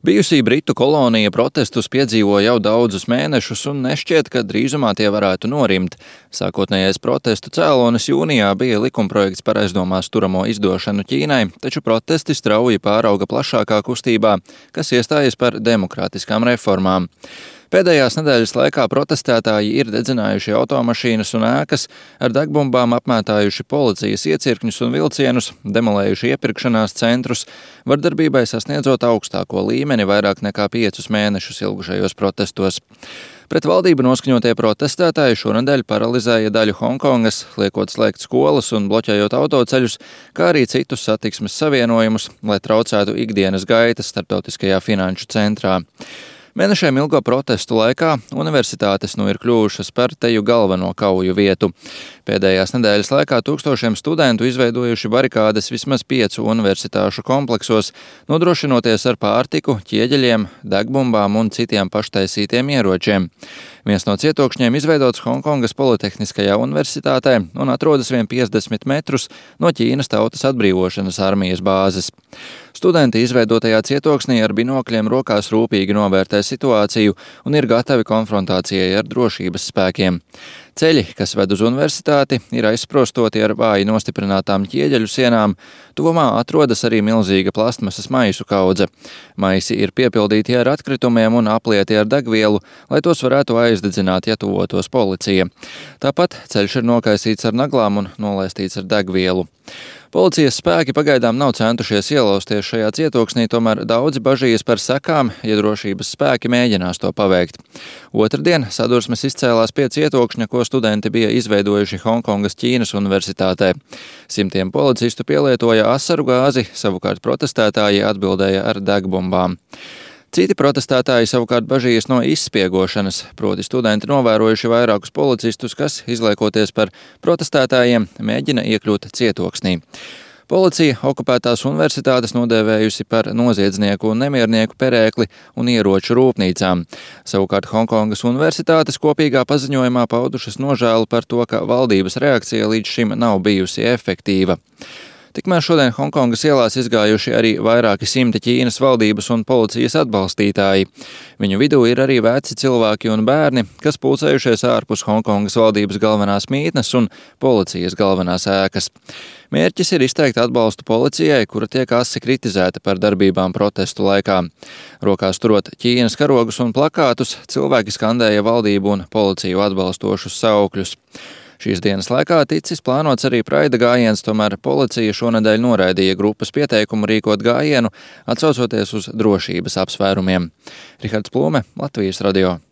Bijusī Britu kolonija protestus piedzīvo jau daudzus mēnešus un nešķiet, ka drīzumā tie varētu norimt. Sākotnējais protestu cēlonis jūnijā bija likumprojekts par aizdomās turamo izdošanu Ķīnai, taču protesti strauji pārauga plašākā kustībā, kas iestājas par demokrātiskām reformām. Pēdējās nedēļas laikā protestētāji ir dedzinājuši automašīnas un ēkas, ar degbumbām apmētājuši policijas iecirkņus un vilcienus, demolējuši iepirkšanās centrus, vardarbībai sasniedzot augstāko līmeni vairāk nekā 5 mēnešus ilgušajos protestos. Pret valdību noskaņotie protestētāji šonedēļ paralizēja daļu Honkongas, liekot slēgt skolas un bloķējot autoceļus, kā arī citus satiksmes savienojumus, lai traucētu ikdienas gaitas starptautiskajā finanšu centrā. Mēnešiem ilgo protestu laikā universitātes ir kļuvušas par teju galveno kauju vietu. Pēdējās nedēļas laikā tūkstošiem studentu izveidojuši barikādes vismaz 5 universitāšu kompleksos, nodrošinoties ar pārtiku, ķieģeļiem, degbumbām un citiem paštaisītiem ieročiem. Viens no cietokšņiem izveidots Honkongas Politehniskajā universitātē un atrodas vien 50 metrus no Ķīnas Tautas atbrīvošanas armijas bāzes. Studenti izveidotajā cietoksnī ar binokļiem rokās rūpīgi novērtē situāciju un ir gatavi konfrontācijai ar drošības spēkiem. Ceļi, kas ved uz universitāti, ir aizsprostoti ar vāji nostiprinātām ķieģeļu sienām. Tuvumā atrodas arī milzīga plastmasas maisu kaudze. Maisi ir piepildīti ar atkritumiem un aplieti ar degvielu, lai tos varētu aizdedzināt, ja tuvotos policija. Tāpat ceļš ir nokaisīts ar naglām un nolaistīts ar degvielu. Policijas spēki pagaidām nav centušies ielausties šajā cietoksnī, tomēr daudzi bažījas par sekām, ja drošības spēki mēģinās to paveikt. Otrdien sadursmes izcēlās pie cietokšņa, ko studenti bija izveidojuši Honkongas Ķīnas universitātē. Simtiem policistu pielietoja asaru gāzi, savukārt protestētāji atbildēja ar degbumbām. Citi protestētāji savukārt bažījas no izspiegošanas, proti studenti novērojuši vairākus policistus, kas, izliekoties par protestētājiem, mēģina iekļūt cietoksnī. Policija okupētās universitātes nodēvējusi par noziedznieku un nemiernieku perēkli un ieroču rūpnīcām. Savukārt Honkongas universitātes kopīgā paziņojumā paudušas nožēlu par to, ka valdības reakcija līdz šim nav bijusi efektīva. Tikmēr šodien Honkongas ielās izgājuši arī vairāki simti Ķīnas valdības un policijas atbalstītāji. Viņu vidū ir arī veci cilvēki un bērni, kas pulcējušies ārpus Honkongas valdības galvenās mītnes un policijas galvenās ēkas. Mērķis ir izteikt atbalstu policijai, kura tiek asi kritizēta par darbībām protestu laikā. Rokās turot Ķīnas karogus un plakātus, cilvēki skandēja valdību un policiju atbalstošus saukļus. Šīs dienas laikā ticis plānots arī praida gājiens, tomēr policija šonedēļ noraidīja grupas pieteikumu rīkot gājienu, atsaucoties uz drošības apsvērumiem. Rihards Plūme, Latvijas radio.